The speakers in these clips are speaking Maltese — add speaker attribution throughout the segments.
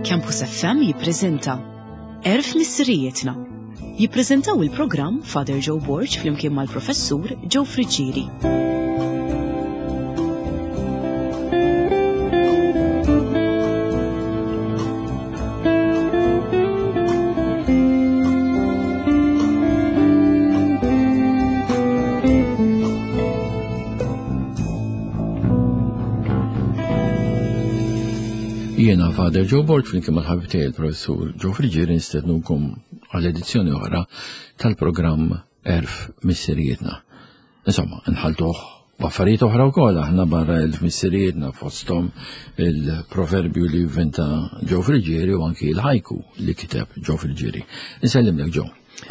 Speaker 1: Campus FM jippreżenta Erf Missirijietna. Jippreżentaw il-programm Father Joe Borg flimkien mal-Professur Joe Friggieri.
Speaker 2: Jiena Father Joe Borg flimkien mal-ħabib tiegħi il-Professur Joe Friggieri nistednukom għal edizzjoni oħra tal-programm Erf Missirijietna. Insomma, nħaltuh b'affarijiet oħra wkoll aħna barra elf missirijietna fosthom il-proverbju li vvinta Joe Friggieri u anki l-ħajku li kiteb Joe Friggieri. Insellimlek Joe.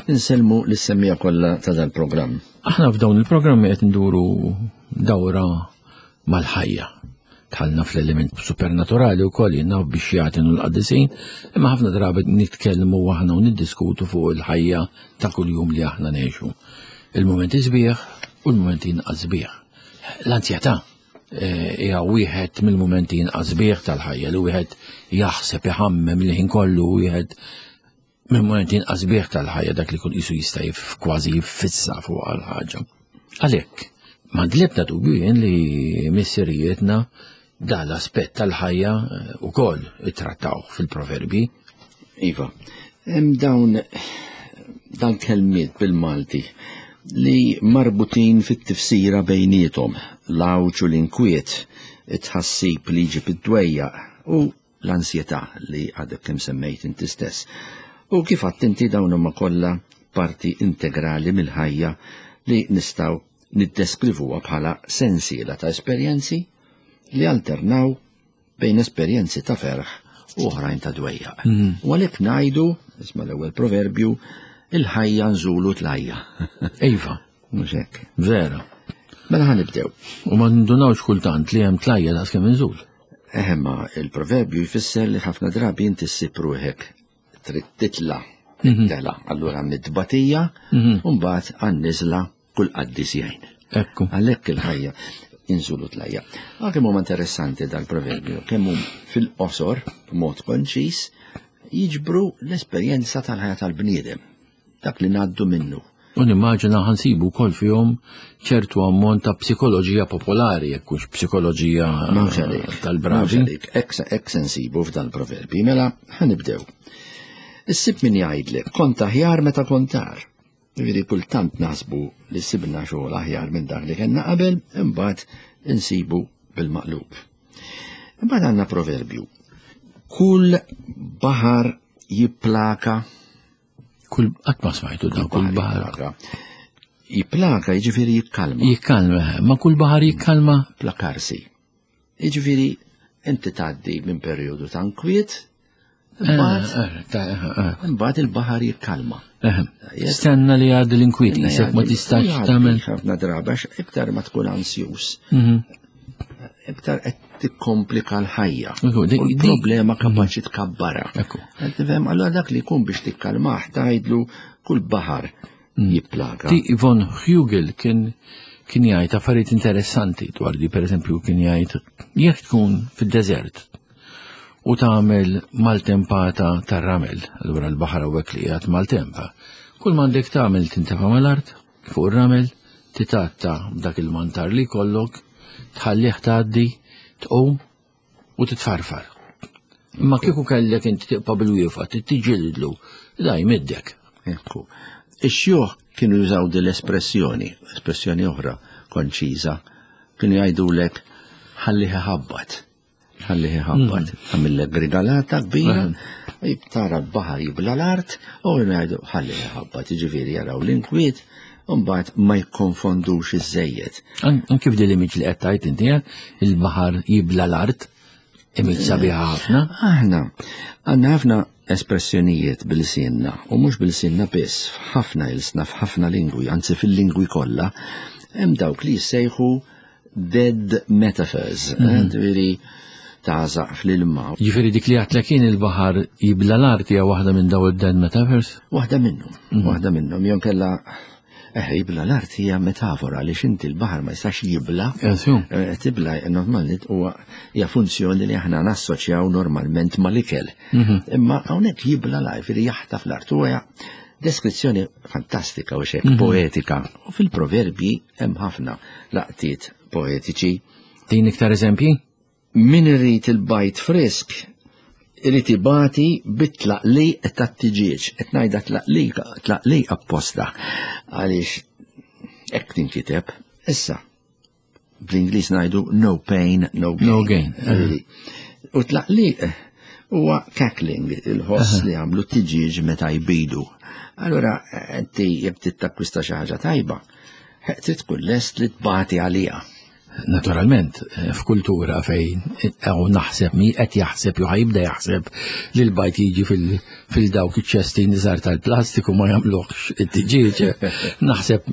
Speaker 3: Insellmu lis-semmija kollha ta' dal-programm.
Speaker 2: Aħna f'dawn il-programmi qed nduru dawra mal-ħajja. Tħallna fl-element supernaturali wkoll jiena biex jagħtinu l-qaddisin, imma ħafna drabi nitkellmu aħna u niddiskutu fuq il-ħajja ta' kuljum li aħna ngħixu. Il-mumenti sbieħ u l-mumenti inqas sbieħ. L-anzjetà eh, hija wieħed mill-mumenti inqas sbieħ tal-ħajja li wieħed jaħseb iħammem li ħin kollu wieħed mill-mumenti inqas sbieħ tal-ħajja dak li kun qisu jista' kważi jiffissa fuq għal ħaġa. Għalhekk, m'għandi l-ebda dubju jien li missirijietna dan l-aspett tal-ħajja eh, ukoll ittrattaw fil-proverbi.
Speaker 3: Iva, hemm dawn dan kelmiet bil-Malti li marbutin fit-tifsira bejniethom, l-għawġ u l-inkwiet, it-tħassib li jġib id-dwejjaq u l-ansjetà li għadek kemm semmejt inti stess. U kif għadt inti dawn huma kollha parti integrali mill-ħajja li nistgħu niddeskrivuha bħala sensiela ta' esperjenzi li alternaw bejn esperjenzi ta' ferħ u oħrajn ta' dwejjaq. Mm. U għalhekk ngħidu, isma' l-ewwel proverbju, il-ħajja nżulu tlajja.
Speaker 2: Iva.
Speaker 3: Mhux hekk.
Speaker 2: Vera.
Speaker 3: Mela ħa nibdew.
Speaker 2: U ma ndunawx kultant li hemm tlajja daqs kemm inżul.
Speaker 3: Eħe ma il-proverbju jfisser li ħafna drabi inti ssib ruħek trid titla' mhm. tela, allura mid-tbatija, mhm. u mbagħad għan-niżla kull qaddis jgħin.
Speaker 2: Ekku.
Speaker 3: Għalhekk il-ħajja inżulu tlajja. Għal kemm huma interessanti dal-proverbju, kemm hum fil-qosor b'mod konċis jiġbru l-esperjenza tal-ħajja tal-bniedem. dak li ngħaddu minnu.
Speaker 2: U nimmaġina ħansibu wkoll fihom ċertu ammont ta' psikoloġija popolari, jekk hux psikoloġija tal-bravi.
Speaker 3: Hekk se nsibu f'dan proverbi, mela ħanibdew. Issib min jgħidlek kont aħjar meta kont agħar. Jiġifieri kultant naħsbu li sibna xogħol aħjar minn dak li kellna qabel, imbagħad insibu bil-maqlub. Imbagħad għandna proverbju. Kull baħar jipplaka
Speaker 2: Kull qatt ma smajtu dan kull baħar.
Speaker 3: Jipplaka jiġifieri jikkalma.
Speaker 2: Jikkalma, ma kull baħar jikkalma.
Speaker 3: Plakarsi. Jiġifieri inti tgħaddi minn perjodu ta' nkwiet, eh, eh, eh, imbagħad il-baħar jikkalma.
Speaker 2: Stenna li għaddi l-inkwiet, jisek ma tistax tagħmel.
Speaker 3: Ħafna drabi għax iktar ma tkun ansjus. Mhm. Iktar qed tikkomplika l-ħajja. Il-problema kapaċi tkabbara. Tifhem, allura dak li jkun biex tikkalmah tgħidlu kull baħar mm. jipplaka.
Speaker 2: Ti Von Hugel kien kien jgħid affarijiet interessanti dwar li pereżempju kien jgħid jekk tkun fid-deżert u tagħmel maltempata tar-ramel, allura l-baħar hawnhekk li qiegħed maltempa. Kull m'għandek tagħmel tintefa' mal-art, fuq ir-ramel, titgħatta b'dak il-mantar li jkollok, tħallih tgħaddi, tqum u titfarfar. Imma kieku kellek inti tibqa' bil-wiefa, tiġġildlu, da jmiddek.
Speaker 3: Ekku. Ix-xjuħ kienu jużaw din l-espressjoni, espressjoni oħra konċiża, kienu jgħidulek ħallih iħabbat. Ħallih iħabbat, mm. għamillek grigalata kbira, tara l-baħar jibla l-art, u ngħidu ħallih iħabbat, jiġifieri jaraw l-inkwiet, u mbagħad ma jikkonfondux iż-żejjed.
Speaker 2: Anki f'dil image li qed tgħid inti eh, il-baħar jibla l-art, image sabiħa ħafna.
Speaker 3: Aħna għandna ħafna espressjonijiet bil-sinna, u mhux bil-sinna biss, f'ħafna ilsna, f'ħafna lingwi, anzi fil-lingwi kollha, hemm dawk li jissejħu dead metaphors, eh, mhm. ġifieri tażaq fl-ilma.
Speaker 2: Ġifieri dik li għatlek kien il-baħar jibla l-art hija waħda minn daw id-dead metaphors?
Speaker 3: Waħda minnhom, mhm. waħda minnhom, jew kella. Eh, jibla l-art hija metafora li inti l-baħar ma jistax jibla. Eh, tibla normalment huwa hija funzjoni li aħna nassoċjaw normalment mal-ikel. Mhm. Imma hawnhekk jibla l li jaħtaf l-art huwa deskrizzjoni fantastika u xek mhm. poetika. U fil-proverbji hemm ħafna laqtiet poetiċi.
Speaker 2: Din iktar eżempji?
Speaker 3: Min irid il-bajd frisk, irid ibati bit-tlaqliq tat-tiġieġ. Qed ngħidha tlaqliq, tlaqliq apposta. Għaliex hekk tinkiteb. Issa, bl-Ingliż ngħidu no pain, no gain.
Speaker 2: No gain.
Speaker 3: U tlaqliq huwa cackling, il-ħoss li għamlu t-tiġieġ meta jbidu. Allura, inti jekk trid takkwista xi ħaġa tajba, trid tkun lest li tbati għaliha.
Speaker 2: Naturalment, eh, f'kultura fejn hawn naħseb mi qed jaħseb jew ħajibda jaħseb li l-bajt jiġi fil-dawk iċ-ċesti nizar tal-plastiku ma jagħmluhx it-tiġieġ, naħseb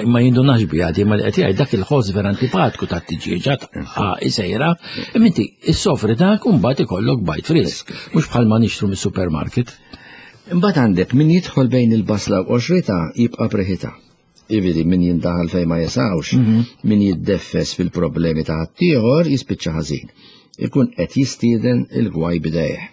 Speaker 2: ma jindunax biha di ma li qed jgħid dak il-ħoss vera antipatku tat-tiġieġa isejra, imma inti issofri dak u mbagħad ikollok bajt frisk, mhux bħalma nixtru mis-supermarket.
Speaker 3: Imbagħad għandek min jidħol bejn il-basla u qoxritha jibqa' b'riħitha. Jiġifieri min jindaħal fejn ma jesawx, mhm. min jiddeffes fil-problemi ta' ħaddieħor jispiċċa ħażin. Ikun qed jistieden il-gwaj bidejh.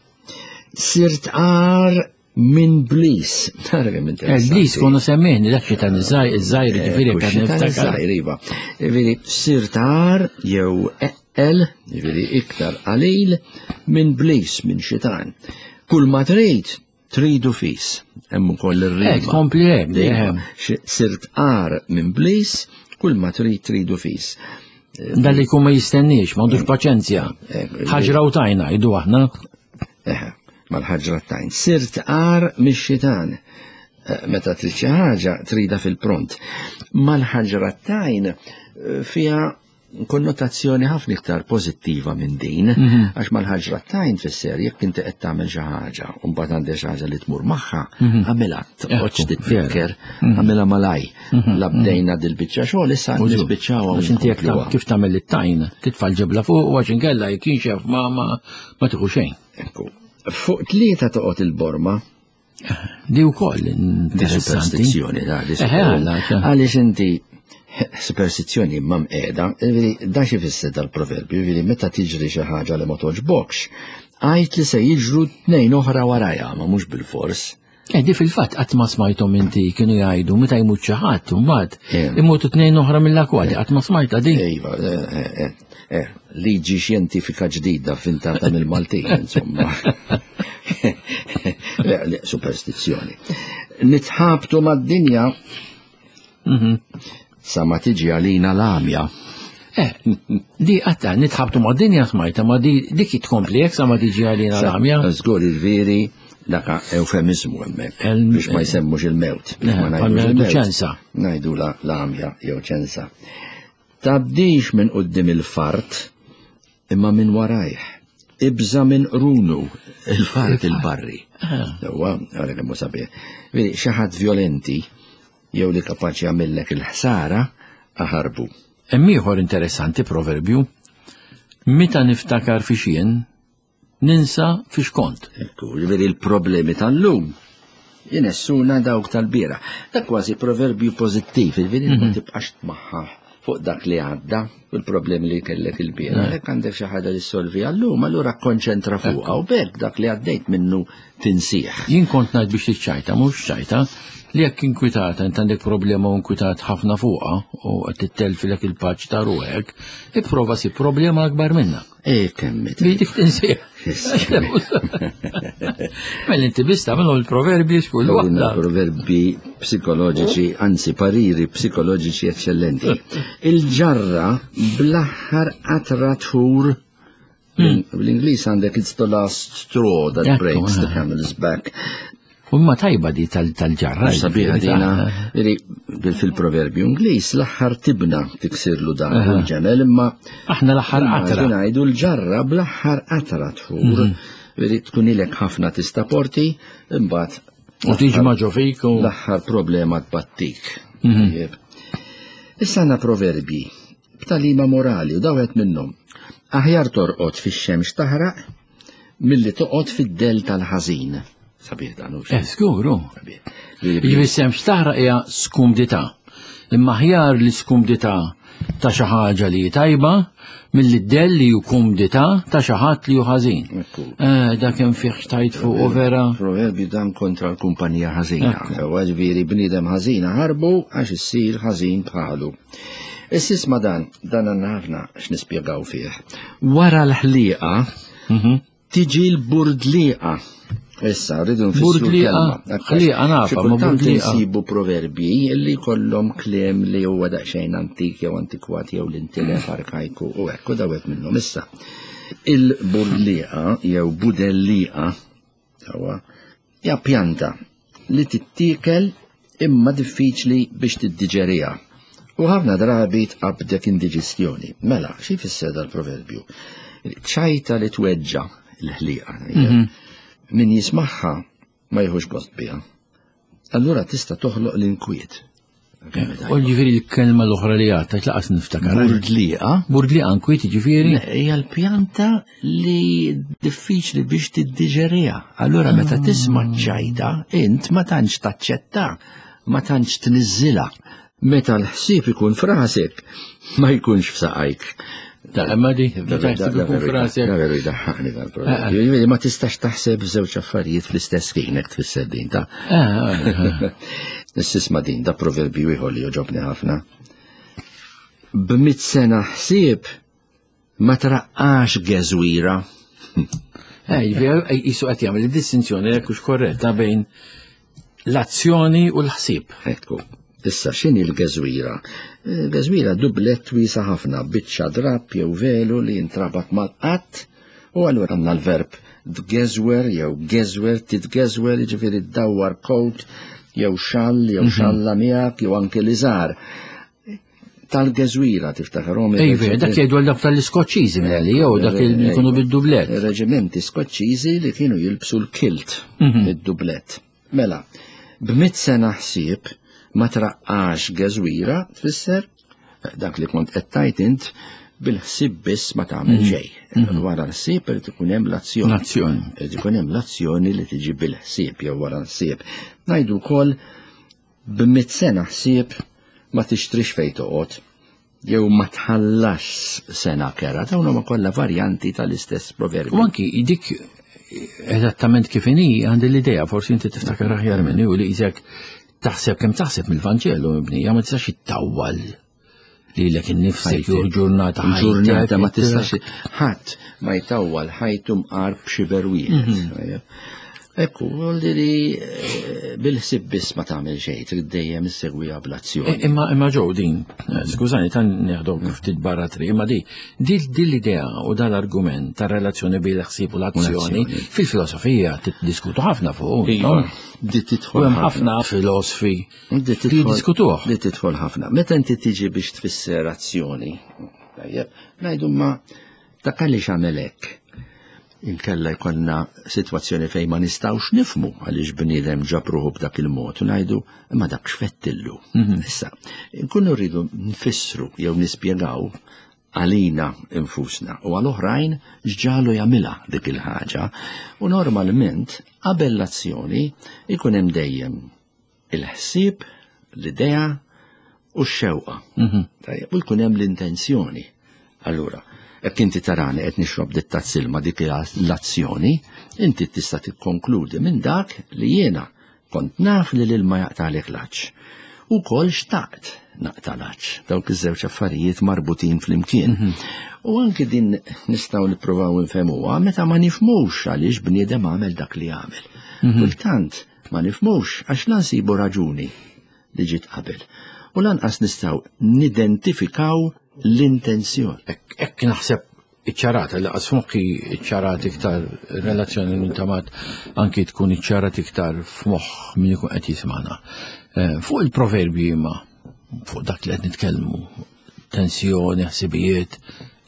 Speaker 3: Sirt għar minn blis.
Speaker 2: Tara kemm interessanti. Eh, blis konu semmejni dak xitan iż-żgħir eh, ġifieri
Speaker 3: kan niftakar. Iva. Jiġifieri sirt għar jew eqqel, jiġifieri iktar qalil minn blis minn xitan. Kull ma trid Tridu fis, hemm ukoll ir-rima.
Speaker 2: Eh, kompli hemm,
Speaker 3: eh. Sirt għar minn blis, kull ma trid tridu fis.
Speaker 2: Eh, Dan li jkun ma jistenniex, ma għandux paċenzja. Ħaġra u tajna, jdu aħna.
Speaker 3: Eħe, mal-ħaġra tajn. Sirt għar mix-xitan. Meta trid xi ħaġa trida fil-pront. Mal-ħaġra tajn fiha konnotazzjoni ħafna iktar pożittiva minn din, mhm. għax mal-ħaġra tajn fisser jekk inti qed tagħmel xi ħaġa u mbagħad għandek xi ħaġa li tmur magħha, mhm. għamilha toqgħodx titfikker, mhm. għamilha malaj. La bdejna dil-biċċa xogħol issa nispiċċaw
Speaker 2: għax inti jekk kif tagħmel it-tajn, titfa' l-ġebla fuq u għax inkella jekk jinxef ma ma tieħu xejn.
Speaker 3: Fuq tlieta toqgħod il-borma,
Speaker 2: Di wkoll interessanti.
Speaker 3: Superstizzjoni, da, di Għaliex inti superstizzjoni imma mqiegħda, da xi fisser dal-proverbju, jiġifieri meta tiġri xi ħaġa li ma toġbokx, għajt li se jiġru tnejn oħra warajha, ma mhux bil-fors.
Speaker 2: Eh, di fil-fatt qatt ma smajthom inti kienu jgħidu meta jmut xi ħadd mbagħad eh. imutu tnejn oħra mill-akwati, qatt ma smajtha din.
Speaker 3: Iva, eh, Eh, liġi xjentifika ġdida vvintata mill-Maltin, insomma. Le, le, superstizzjoni. Nitħabtu mad-dinja mhm. sa ma tiġi għalina l-għamja.
Speaker 2: Eh, di għatta, nitħabtu mad-dinja smajta, ma di dik tkompli jek sa ma tiġi għalina l-għamja.
Speaker 3: Zgur il-veri, daka eufemizmu hemmhekk biex ma jsemmux il-mewt.
Speaker 2: Biex ma eh, ngħidu ċensa.
Speaker 3: Ngħidu l-għamja jew ċensa. Tgħaddix minn quddiem il-fart, imma minn warajh. Ibża' minn qrunu, il-fart il-barri. Huwa, ara kemm hu sabiħ. Vedi, xi ħadd vjolenti jew li kapaċi jagħmillek il-ħsara, aħarbu.
Speaker 2: Hemm ieħor interessanti proverbju. Meta niftakar fi xien, Ninsa fiex kont.
Speaker 3: Ekku, ġifieri l-problemi tal-lum jinessuna dawk tal-bira. Dak kważi proverbju pożittiv, ġifieri ma mhm. tibqax tmaħħaħ fuq dak li għadda u l-problemi li kellek il-bira. Għalhekk għandek xi ħaġa li solvi għallum, allura konċentra fuqha u bekk dak li għaddejt minnu tinsih.
Speaker 2: Jien kont ngħid biex tiċċajta, mhux ċajta, li jekk inkwitata int għandek problema u inkwitat ħafna fuqha u qed tittelfilek il-paċ ta' ruħek, ipprova si problema akbar minnha.
Speaker 3: E kemm
Speaker 2: Li dik tinsieħ. Mela inti biss tagħmilhom il-proverbji xkull waħda.
Speaker 3: Proverbi psikoloġiċi, anzi pariri psikoloġiċi eccellenti. Il-ġarra bl-aħħar qatra tħur hmm. Bl-Ingliż għandek it's the last straw that breaks the camel's back.
Speaker 2: Umma tajba di tal-ġarra.
Speaker 3: Sabiħa dina, fil-proverbju Ingliż l-aħħar tibna tiksirlu dan il-ġemel imma.
Speaker 2: Aħna l-aħħar qatra.
Speaker 3: Ngħidu l-ġarra bl-aħħar qatra tfur. Mhm. Veri tkun ilek ħafna tista' porti, imbagħad.
Speaker 2: U tiġi ma ġo fik u.
Speaker 3: L-aħħar problema tbattik. Mhm. Issa għandna proverbji b'talima morali u dawet minnhom. Aħjar torqod fix-xemx taħraq milli toqgħod fid-dell tal-ħażin. Sabiħ dan hux.
Speaker 2: Eh, żgur, hu. Jiġifieri semx taħraq hija skumdità. Imma aħjar li skumdità ta' xi ħaġa li hi tajba milli d-dell li hu kumdità ta' xi ħadd li hu ħażin. Eh, dak hemm fih xtajt fuq u vera.
Speaker 3: Proverbju dan kontra l-kumpanija ħażina. Sewwa ġifieri bniedem ħażina ħarbu għax issir ħażin bħalu. Issa isma' dan, dan għandna ħafna x'nispjegaw fih. Wara l-ħlieqa mhm. Tiġi l-burdliqa. Issa, rridu nfissru
Speaker 2: Burdliqa, ħliqa nafa, ma burdliqa.
Speaker 3: Nsibu proverbji li kollhom kliem li huwa daqsxejn antik jew antikwat jew l-intilef arkajku u hekk u dawet minnhom. Issa, il-burdliqa jew budelliqa hija pjanta li tittiekel imma diffiċli biex tiddiġeriha. U ħafna drabi tqabbdek indiġestjoni. Mela, xi jfisser dal-proverbju? Ċajta li tweġġa l-ħliqa. Mhm. Min jismagħha ma jieħux gost biha. Allura tista' toħloq l-inkwiet.
Speaker 2: U ġifiri l-kelma l-oħra li għatta, tlaqas niftakar.
Speaker 3: Burdliqa.
Speaker 2: Burdliqa nkwiet ġifiri?
Speaker 3: Hija l-pjanta li diffiċli biex tiddiġerija. Allura meta ah. tisma' ċajta, int ma tantx taċċetta, ma tantx tniżżilha. Meta l-ħsieb ikun frasek, ma jkunx f'saqajk.
Speaker 2: Ta' imma di, da
Speaker 3: veru jdaħħaqni dal-proġett. Eh, eh. Ma tistax taħseb żewġ affarijiet fl-istess ħin hekk tfisser din ta' eh, Issisma din da proverbju ieħor li joġobni ħafna. B'mit sena ħsieb ma traqqax geżwira.
Speaker 2: Ej, jisu qed jagħmel id-distinzjoni jekk hux korretta bejn l-azzjoni u l-ħsieb.
Speaker 3: Ekku. Issa x'inhi l-geżwira? Geżwira dublett wiesa ħafna, biċċa drapp jew velu li jintrabat mal-qatt u allura għandna l-verb tgeżwer jew geżwer, titgeżwer, jiġifieri ddawwar coat jew xall jew mhm. xalla miegħek jew anke liżar tal-geżwira tiftakarhom.
Speaker 2: Ejve, dak jgħidu għal dak tal-Iskoċċiżi meli jew dak li jkunu bid-dublett.
Speaker 3: Reġimenti Skoċċiżi li kienu jilbsu l-kilt mhm. id-dublett. Mela, b'mit sena ħsieb ma traqqax geżwira tfisser dak li kont qed tajt int bil-ħsieb biss ma tagħmel mhm. xejn. Mhm. Wara l-ħsieb irid ikun hemm l-azzjoni.
Speaker 2: L-azzjoni.
Speaker 3: Irid ikun hemm l-azzjoni li tiġi bil-ħsieb jew wara l-ħsieb. Ngħidu wkoll B'mitt sena ħsieb ma tixtrix fejn toqgħod jew ma tħallasx sena kera, dawn huma kollha varjanti tal-istess proverbju.
Speaker 2: U anki dik eżattament kif inhi għandi l-idea, forsi inti tiftakar aħjar minni u li isek taħseb kemm taħseb mill-Vanġelu mibnija ma tistax ittawwal lilek innifsek jew ġurnata
Speaker 3: ġurnata ma tistax ħadd ma jtawwal ħajtu mqar b'xiber wieħed. Mhm. Ekku, li li eh, bil-ħsib biss ma tagħmel xejn, trid dejjem issegwiha bl-azzjoni.
Speaker 2: Eh, imma imma ġew din, eh, skużani tan neħdok ftit barra tri, imma di din l-idea u dal-argument ta' relazzjoni bejn l-ħsieb u l-azzjoni fil-filosofija tiddiskutu ħafna fuq.
Speaker 3: Iva, di tidħol
Speaker 2: ħafna filosofi Li jiddiskutuh.
Speaker 3: Li tidħol ħafna. Meta inti tiġi biex tfisser azzjoni, tajjeb, ngħidu ma dak għaliex għamel hekk. Inkella jkollna sitwazzjoni fejn ma nistgħux nifmu għaliex bniedem ġab ruħu b'dak il-mod u ngħidu imma dak x'fettillu. Mhm. Issa, nkunu rridu nfissru jew nispjegaw għalina infusna u għal oħrajn x'ġalu jagħmilha dik il-ħaġa u normalment qabel l-azzjoni ikun hemm dejjem il-ħsieb, l-idea u x-xewqa. Mhm. Tajjeb, u jkun hemm l-intenzjoni. Allura, jekk inti tarani qed nixrob dit tazzilma dik l-azzjoni, inti tista' tikkonkludi minn dak li jiena kont naf li l-ilma jaqtagħlek l-għatx. U kol xtaqt naqta' l-għatx. Dawk iż-żewġ affarijiet marbutin flimkien. Mhm. U anki din nistgħu nippruvaw nfehmuha meta ma nifhmux għaliex bniedem għamel dak li għamel. Mhm. Kultant Ma nifhmux għax la nsibu raġuni li ġiet qabel u lanqas nistgħu nidentifikaw l-intenzjoni.
Speaker 2: Hekk naħseb iċċarata li qas f'moħħi iċċarat iktar relazzjoni minn tamat anki tkun iċċarat iktar f'moħħ min ikun qed jismana. Eh, fuq il-proverbji imma fuq dak li qed nitkellmu, tensjoni, ħsibijiet,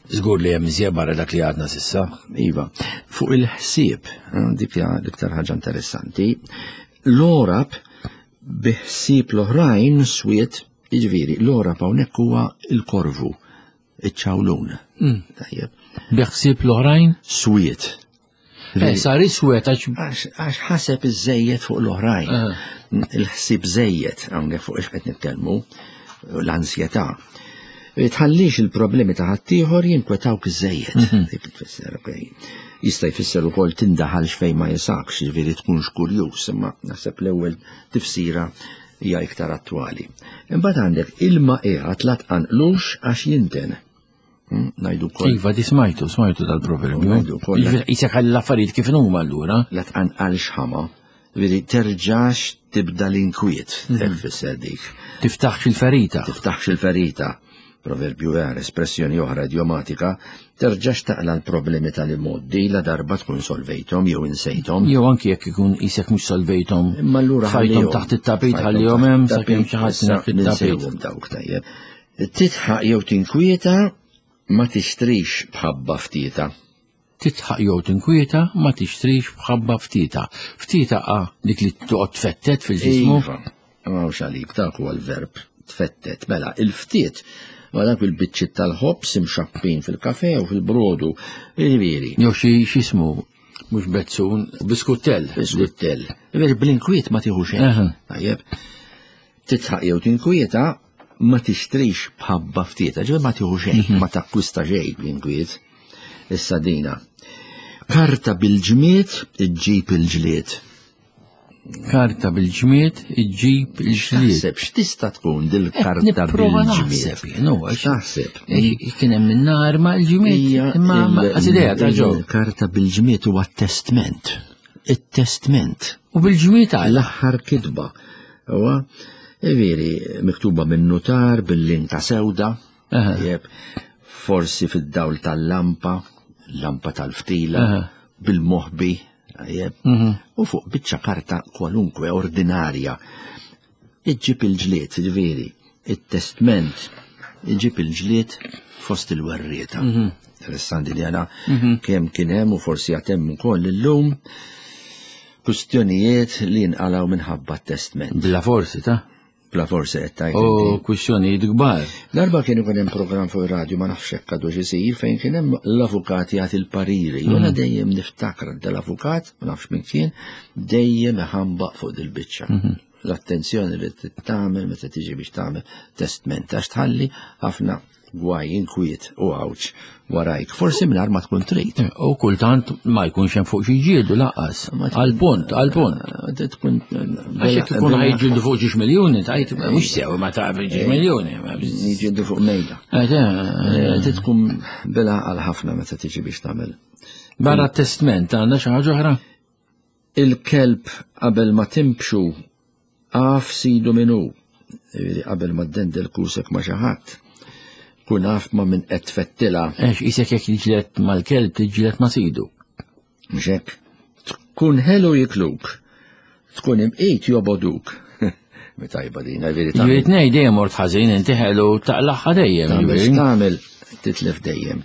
Speaker 2: Żgur li hemm iżjed barra dak li għadna sissa.
Speaker 3: Iva, fuq il-ħsieb, eh, dik hija l-iktar ħaġa interessanti, l-orab bi ħsieb l-oħrajn swiet, jiġifieri l-orab hawnhekk huwa l-korvu, iċ-ċawlun.
Speaker 2: Mm. Tajjeb. Bi ħsieb l-oħrajn?
Speaker 3: Swiet.
Speaker 2: Eh, sar iswed għax.
Speaker 3: Għax ħaseb iż-żejjed fuq l-oħrajn.
Speaker 2: Eh.
Speaker 3: Il-ħsieb żejjed hawnhekk fuq ix qed nitkellmu, l-ansjetà. Tħallix il-problemi ta' ħaddieħor jinkwetawk iż-żejjed. Mhm. Dik tfisser, okej. Jista' jfisser ukoll tindaħalx fejn ma jisakx, jiġifieri tkunx kurjuż, imma naħseb l-ewwel tifsira hija iktar attwali. Imbagħad għandek ilma qiegħed la tqanqlux għax jinten. Hmm, ngħidu wkoll.
Speaker 2: Iva, di smajtu, smajtu dal-proverbju.
Speaker 3: Ngħidu wkoll.
Speaker 2: Isek ħalli l-affarijiet kif huma allura.
Speaker 3: La tqanqalx ħama, veri terġax tibda l-inkwiet, mhm. hekk fisser dik.
Speaker 2: Tiftaħx il-ferita.
Speaker 3: Tiftaħx il-ferita. Proverbju għar, espressjoni oħra idiomatika, terġax taqla l-problemi tal-imoddi la darba tkun solvejtom jew insejtom.
Speaker 2: Jew anki jekk ikun isek mhux solvejtom.
Speaker 3: Imma allura
Speaker 2: fajtom taħt it-tapit ħallihom hemm sakemm xi ħadd taħt it-tapit.
Speaker 3: Dawk tajjeb. Tidħaq jew tinkwieta ma tixtrix b'ħabba ftieta.
Speaker 2: Tidħaq jew tinkwieta ma tixtrix b'ħabba ftieta. Ftieta a dik li toqgħod tfettet fil-ġismu.
Speaker 3: Iva, ma hawnx għalik dak huwa l-verb tfettet. Mela, il-ftiet ma dak il-biċċiet tal-ħobż imxappin fil-kafe u fil-brodu. Jiġifieri.
Speaker 2: Jew xi x'ismu mhux bezzun, biskuttell.
Speaker 3: Biskuttell. Jiġifieri bl-inkwiet ma tieħu xejn. Tajjeb. Tidħaq jew tinkwieta ma tixtrix b'ħabba ftieta, ġifieri ma tieħu xejn, mhm. ma takkwista xejn bl-inkwiet. Issa dina. Karta bil-ġmiet iġġib il-ġlied.
Speaker 2: Karta bil-ġmiet iġġib il-ġlied.
Speaker 3: Taħseb x'tista' tkun dil-karta bil-ġmiet?
Speaker 2: Taħseb. Kien hemm in-nar ma' l-ġmiet. Imma idea ta' ġew.
Speaker 3: Karta bil-ġmiet huwa testment. It-testment.
Speaker 2: U bil-ġmiet għal.
Speaker 3: L-aħħar kitba. Huwa veri miktuba minn nutar bil-linka sewda, tajjeb, forsi fid-dawl tal-lampa, lampa tal-ftila, bil-moħbi, tajjeb, mhm. u fuq biċċa karta kwalunkwe ordinarja. Iġġib il-ġlied, ġifieri, it-testment, iġib il-ġlied fost il-werrieta. Mhm. Interessanti li għana mhm. kemm kien hemm u forsi għatem ukoll illum Kwistjonijiet li jinqalgħu minħabba t-testment.
Speaker 2: Bla forsi ta'
Speaker 3: Bla forsi qed tgħid.
Speaker 2: U kwistjonijiet kbar.
Speaker 3: Darba kien ikun hemm programm fuq ir-radju ma nafx hekk għadu isir fejn kien hemm l-avukat jagħti l-pariri. Mm. Jiena dejjem niftakar dal-avukat, ma nafx min kien, dejjem iħambaq fuq dil-biċċa. Mhm. L-attenzjoni li tagħmel meta tiġi biex tagħmel testment għax tħalli ħafna gwaj, inkwiet u għawġ warajk. Forsi mingħajr ma tkun trid.
Speaker 2: Eh, u kultant ma jkunx hemm fuq xi ġiedu laqas. Għal-punt, għal-punt.
Speaker 3: Eh, tkun
Speaker 2: eh, Għax ikun ħajġildu fuq ġiex miljuni, tajt mhux sew ma taf ġiex miljuni.
Speaker 3: Jiġildu fuq mejda. Tkun bela għal ħafna meta tiġi biex tagħmel.
Speaker 2: Barra testment għandna xi ħaġa oħra?
Speaker 3: Il-kelb qabel ma timbxu Af sidu min hu, jiġifieri qabel ma ddendel kusek ma' xi ħadd, kun af ma' min qed tfettilha.
Speaker 2: Għax isek jekk tiġġieled mal-kelb tiġġieled ma' sidu.
Speaker 3: Mhux hekk? Tkun ħelu jikluk, tkun imqit jobogħduk. Mi tajba din, jiġifieri
Speaker 2: tagħmel. Jiġifieri tnej dejjem mort ħażin inti ħelu taqlagħha dejjem.
Speaker 3: Tagħmel tagħmel titlef dejjem.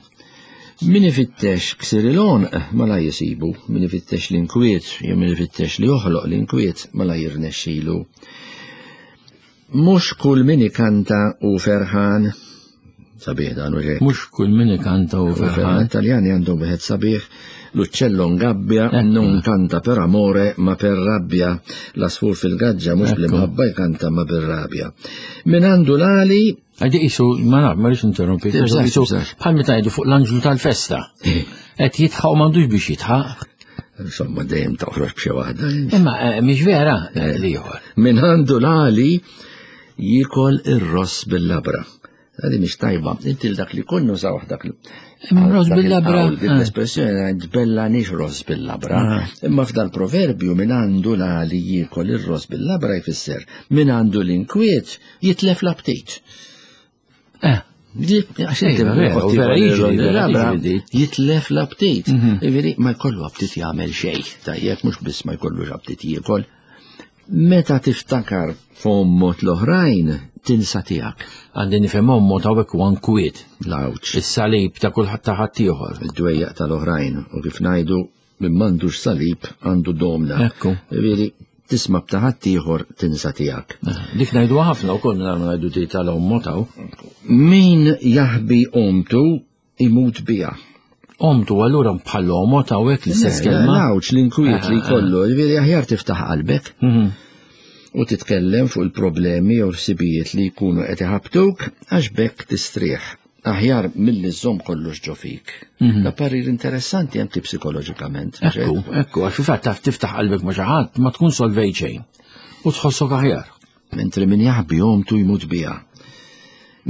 Speaker 3: Min ifittex ksir il-għonq ma la jisibu, min ifittex l-inkwiet jew min ifittex li joħloq l-inkwiet ma la jirnexxilu. Mhux kull min ikanta u ferħan, sabiħ dan u ġej.
Speaker 2: Mhux kull min ikanta u ferħan.
Speaker 3: Taljani għandhom wieħed sabiħ, l-uccello ngabbja, non kanta per amore ma per rabbia, l-asfur fil-gaġġa mhux bl-imħabba jkanta ma bir-rabja. Min għandu l-għali
Speaker 2: Għadi isu, ma naf, ma rridx interrompi, isu bħal meta jgħidu fuq l-anġlu tal-festa. Eh. Qed jitħaq u m'għandux biex jitħaq.
Speaker 3: Insomma, dejjem toħroġ b'xi waħda.
Speaker 2: Imma eh, mhix vera eh, li ieħor.
Speaker 3: Min għandu l-għali jikol ir-ross bil-labra. Għadi mhix tajba, inti dak li kun nużaw dak li.
Speaker 2: Ross bil-labra.
Speaker 3: Din l-espressjoni tbella nix ross bil-labra. Imma f'dal proverbju min għandu l-għali jikol ir-ross bil-labra jfisser min għandu l-inkwiet jitlef l-aptit.
Speaker 2: Eh.
Speaker 3: Għax inti vera jiġri, jitlef l-aptit. Mhm. Ġifieri ma jkollu aptit jagħmel xejn, tajjeb mhux biss ma jkollux aptit jiekol. Meta tiftakar f'ommot l-oħrajn, tinsa tiegħek.
Speaker 2: Għandi nifhem ommot hawnhekk huwa nkwiet.
Speaker 3: L-għawġ.
Speaker 2: Is-salib ta' kulħadd ta' ħaddieħor.
Speaker 3: Id-dwejjaq tal-oħrajn u kif ngħidu Min m'għandux salib għandu domna.
Speaker 2: Ekku.
Speaker 3: Ġifieri tisma' b'ta' ħaddieħor tinsa tiegħek.
Speaker 2: Eh, dik ngħidu ħafna wkoll mingħajr ma ngħidu di tal-ommu taw.
Speaker 3: Min jaħbi omtu imut biha.
Speaker 2: Omtu allura bħal omot hawnhekk l-istess kelma.
Speaker 3: L-għawġ l-inkwiet li jkollu, ġifieri aħjar tiftaħ qalbek. U titkellem fuq il-problemi jew ħsibijiet li jkunu qed iħabbtuk għax b'hekk tistrieħ. Aħjar milli żżomm kollox ġo fik. Da parir interessanti anki psikoloġikament.
Speaker 2: Ekku, ekku, għax fil-fatt taf tiftaħ qalbek ma' xi ħadd ma tkun solvejt xejn. U tħossok aħjar.
Speaker 3: Mentri min jaħbi omtu jmut biha.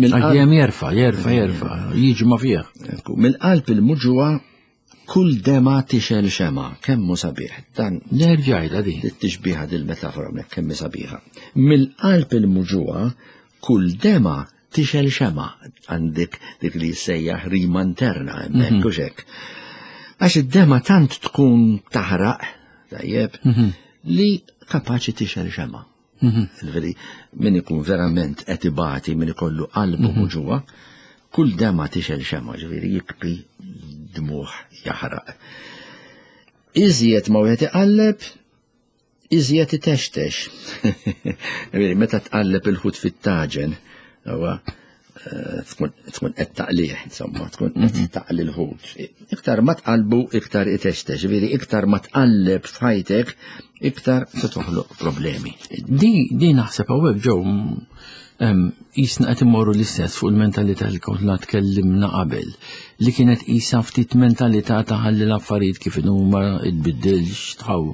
Speaker 2: Għax jerfa, jerfa, jerfa, jiġma fih.
Speaker 3: Ekku, mill-qalb il-muġugħa kull dema tixel xema, kemm hu sabiħ. Dan
Speaker 2: Nerġajda din.
Speaker 3: Tixbiha dil-metafora hawnhekk kemm hi sabiħa. Mill-qalb il-muġugħa kull dema tixel xema. Għandek dik li jissejjaħ rima interna hemmhekk u hekk. Għax id-dema tant tkun taħraq, tajjeb, li kapaċi tixel xema. Ġifieri, min ikun verament qed ibati, min ikollu qalbu muġugħa, kull dema tixel xema, ġifieri jikbi dmuħ jaħraq. Iżjed ma wieħed iqalleb, iżjed itextex. Ġifieri, meta tqalleb il-ħut fit-taġen, huwa tkun qed taqlih, insomma, tkun qed taqli l-ħut. Iktar ma tqallbu, iktar itextex, ġifieri iktar ma tqalleb f'ħajtek, iktar se toħloq problemi.
Speaker 2: Di naħseb hawnhekk ġew qisna qed immorru l-istess fuq il-mentalità li konna tkellimna qabel, li kienet qisha ftit mentalità ta' ħalli l-affarijiet kif inhuma tbiddilx tħaw.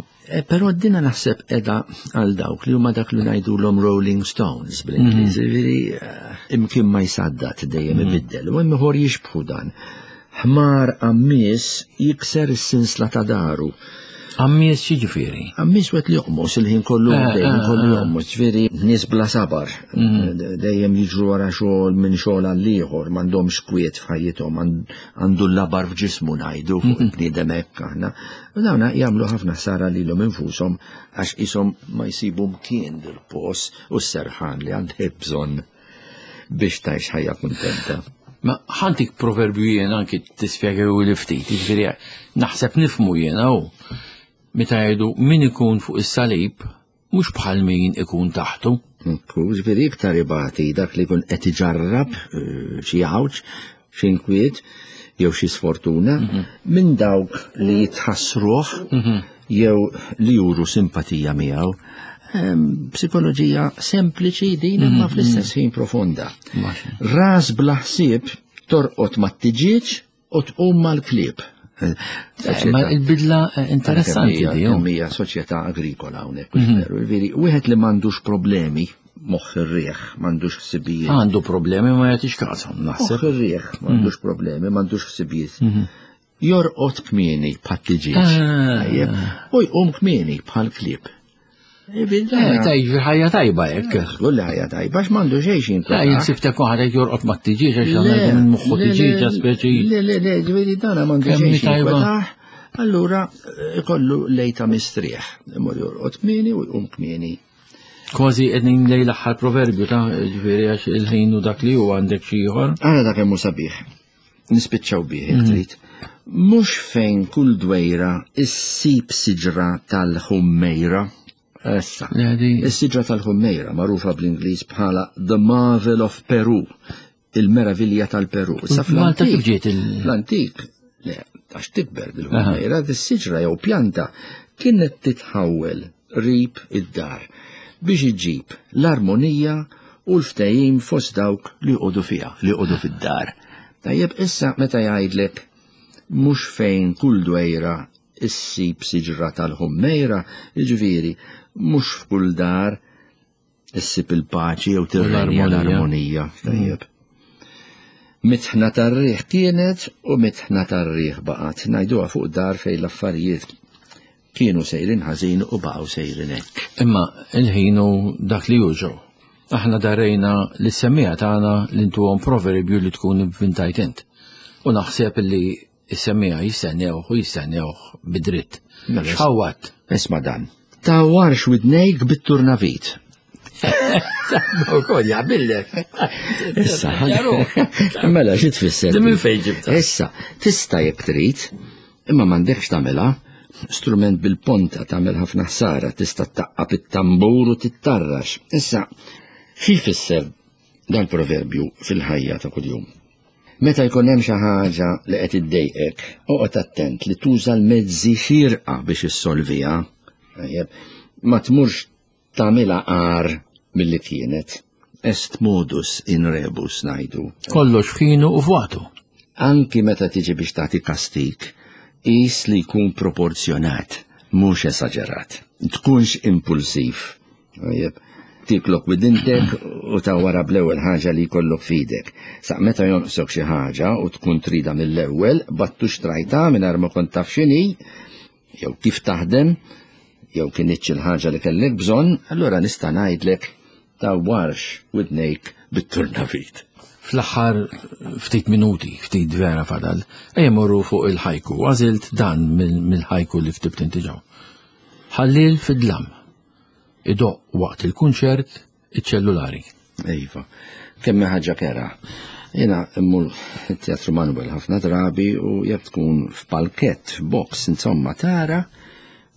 Speaker 3: Però dina naħseb edha għal dawk li huma dak li ngħidulhom Rolling Stones bl-Ingliż, ġifieri imkien ma jsaddat dejjem ibiddel, u hemm ieħor jixbħu dan. Ħmar għammies jikser is-sinsla ta' daru.
Speaker 2: Għammies x'jiġifieri?
Speaker 3: Għammies wieħed li joqmos il-ħin kollu, dejjem kollu joqmos, ġifieri nies bla sabar, dejjem jiġru wara xogħol minn xogħol għal ieħor, m'għandhomx kwiet f'ħajjithom, għandu l-labar f'ġismu ngħidu fuq il-bniedem hekk aħna. U dawna jagħmlu ħafna ħsara lilhom infushom għax qishom ma jsibu mkien dil-pos u s-serħan li għandek bżonn biex tgħix ħajja kuntenta.
Speaker 2: Ma ħantik proverbju jien anki tispjegaw li ftit, jiġifieri naħseb nifhmu jiena hu. Meta jgħidu min ikun fuq is-salib mhux bħal min ikun taħtu.
Speaker 3: Ekku, ġifieri iktar ibati dak li jkun qed iġarrab xi għawġ, xi inkwiet jew xi sfortuna minn dawk li jitħassruh jew li juru simpatija miegħu. Psikoloġija sempliċi din imma fl-istess ħin profonda. Ras bla ħsieb torqod mat-tiġieġ u tqum mal-klieb.
Speaker 2: Ma il-bidla interessanti di, jo.
Speaker 3: Hija soċjetà agrikola hawnhekk, veru, ġifieri, wieħed li m'għandux problemi moħħ ir-riħ, m'għandux ħsibijiet.
Speaker 2: Għandu problemi ma jagħtix każhom, naħseb.
Speaker 3: Moħħ ir-riħ, m'għandux problemi, m'għandux ħsibijiet. Jorqod kmieni bħat-tiġieġ. Tajjeb, u jqum kmieni bħal klieb.
Speaker 2: Tajjeb, ħajja tajba hekk.
Speaker 3: Żgur li ħajja tajba, għax m'għandu xejn xi jinkweta.
Speaker 2: Jien sibtek waħda jekk jorqod mat-tiġieġ għax għandu minn moħħu tiġieġa speċi.
Speaker 3: Le, le, le, ġifieri dan m'għandu xejn xi jinkweta. Allura ikollu lejta mistrieħ. Imur jorqod kmieni u jqum kmieni.
Speaker 2: Kważi qegħdin lejn l-aħħar proverbju ta' ġifieri għax il-ħin u dak li hu għandek xi ieħor.
Speaker 3: Ara dak hemm hu sabiħ. Nispiċċaw bih jekk trid. Mhux fejn kull dwejra issib siġra tal-ħummejra. Issa. Is-siġra tal-ħummejra magħrufa bl-Ingliż bħala The Marvel of Peru, il-meravilja tal-Peru. Issa
Speaker 2: Malta kif ġiet il-
Speaker 3: fl-antik, le, għax tikber dil-ħummejra, dis-siġra jew pjanta kienet titħawwel qrib id-dar biex iġib l-armonija u l-ftehim fost dawk li joqogħdu fiha, li joqogħdu fid-dar. Tajjeb, issa meta jgħidlek mhux fejn kull dwejra issib siġra tal-ħummejra, jiġifieri mhux f'kull dar issib il-paċi jew tirrenja l-armonija. Tajjeb. Mitħna tar-riħ kienet u mitħna tar-riħ baqgħet. Ngħiduha fuq dar fejn l-affarijiet kienu sejrin ħażin u baqgħu sejrin hekk.
Speaker 2: Imma il-ħin hu dak li hu ġew. Aħna darejna lis-semmiegħa tagħna li ntuhom proverbju li tkun ivvintajt int. U naħseb li s-semmiegħa jistennewh u jistennewh bidritt.
Speaker 3: Mela,
Speaker 2: X'ħawwatt?
Speaker 3: Isma' dan. Tgħawwarx widnejk bit-turnavit.
Speaker 2: Ukoll jaqbillek.
Speaker 3: Issa, mela xi tfisser?
Speaker 2: Di minn fejn ġibtha?
Speaker 3: Issa, tista' jekk trid, imma m'għandekx tagħmilha. Strument bil-ponta tagħmel ħafna ħsara, tista' taqqab it-tambur u tittarrax. Issa, xi jfisser dal-proverbju fil-ħajja ta' kuljum? Meta jkun hemm xi ħaġa li qed iddejqek, oqgħod attent li tuża l-mezzi xierqa biex issolviha. Ma tmurx tagħmilha agħar milli kienet. Est modus in rebus ngħidu.
Speaker 2: Kollox f'ħinu u f'waqtu.
Speaker 3: Anki meta tiġi biex tagħti kastig, qis li jkun proporzjonat, mhux esaġerat. Tkunx impulsiv. Tajjeb, tiklok widintek u ta' wara bl-ewwel ħaġa li jkollok f'idek. Sa meta jonqsok xi ħaġa u tkun trida mill-ewwel, battu xtrajta mingħajr ma kont taf x'inhi, jew kif taħdem, jew kinitx il-ħaġa li kellek bżonn, allura nista' ngħidlek tgħawwarx widnejk bit-turnavit.
Speaker 2: Fl-aħħar ftit minuti, ftit vera fadal, ejja morru fuq il-ħajku. Għażilt dan mill-ħajku li ktibt inti ġew. Ħallil fid-dlam. Idoqq waqt il-kunċert iċ-ċellulari.
Speaker 3: Iva, kemm ħaġa kera. Jena immur it-Teatru Manuel ħafna drabi u jekk tkun f'palkett, f'box, insomma tara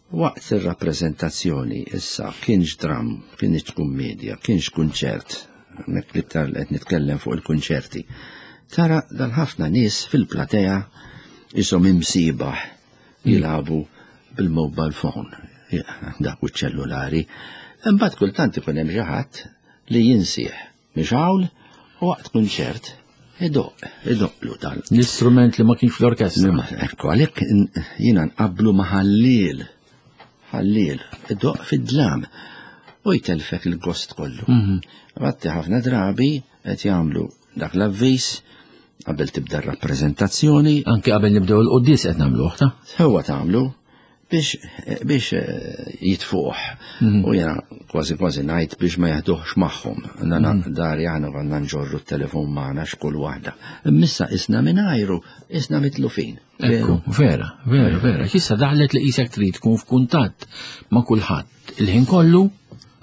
Speaker 3: waqt ir-rappreżentazzjoni issa kienx dram, kienx kummedja, kienx kunċert, hemmhekk l-iktar li qed nitkellem fuq il-kunċerti. Tara dan ħafna nies fil-platea isom imsibaħ jilagħbu bil-mobile phone, dak u ċellulari. Imbagħad kultant ikun hemm xi ħadd li jinsieħ mixgħul u waqt kunċert idoq, idoqlu
Speaker 2: dal. L-istrument li ma kienx fl-orkestra.
Speaker 3: Ekku, għalhekk jiena nqabblu ma' ħalliel. Ħalliel, idoq fid-dlam u jtelfek il-gost kollu. Mhm. Għatti ħafna drabi qed jagħmlu dak l-avviż qabel tibda r-rappreżentazzjoni.
Speaker 2: Anke qabel nibdew il-quddies qed nagħmluh ta'.
Speaker 3: Huwa tagħmlu biex biex eh, jitfuh. Mhm. U jena kważi kważi ngħid biex ma jaħduhx magħhom. Nana mhm. dari aħna konna nġorru t-telefon magħna x'kull waħda. Immissa isna mingħajru, isna mitlufin.
Speaker 2: Ekku, vera, vera, vera. Issa daħlet li qisek trid tkun f'kuntatt ma' kulħadd il-ħin kollu,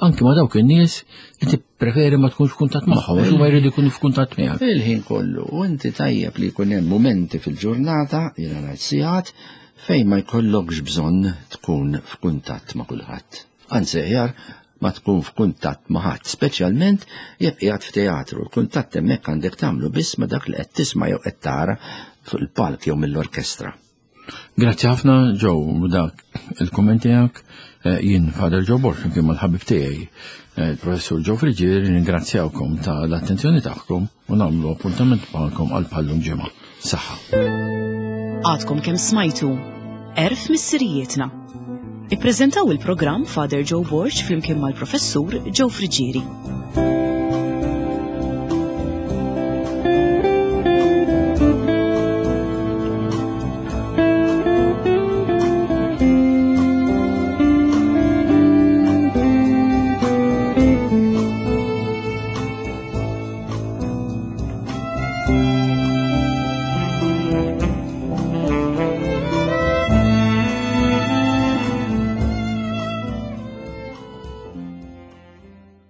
Speaker 2: anki ma' dawk in-nies li tippreferi ma tkunx f'kuntatt magħhom, għax huma jridu jkunu f'kuntatt miegħek.
Speaker 3: Il-ħin kollu, u inti tajjeb li jkun hemm mumenti fil-ġurnata, jiena ngħid sigħat, fejn ma jkollokx bżonn tkun f'kuntatt ma' kulħadd. Anzi aħjar ma tkun f'kuntatt ma' ħadd, speċjalment jekk qiegħed f'teatru. Il-kuntatt hemmhekk għandek tagħmlu biss ma' dak li qed tisma' jew qed tara fuq il-palk jew mill-orkestra.
Speaker 2: Grazzi ħafna Joe dak il-kumment tiegħek. Eh, jien Father Joe Borg kien mal-ħabib tiegħi eh, il-Professur Joe Friġier ringrazzjawkom ta' l-attenzjoni tagħkom u nagħmlu appuntament magħkom għal bħallum ġimgħa. Saħħa.
Speaker 1: Għadkom kemm smajtu Erf Missirijietna. Ippreżentaw il-programm Father Joe Borg flimkien mal-Professur Joe Friġieri.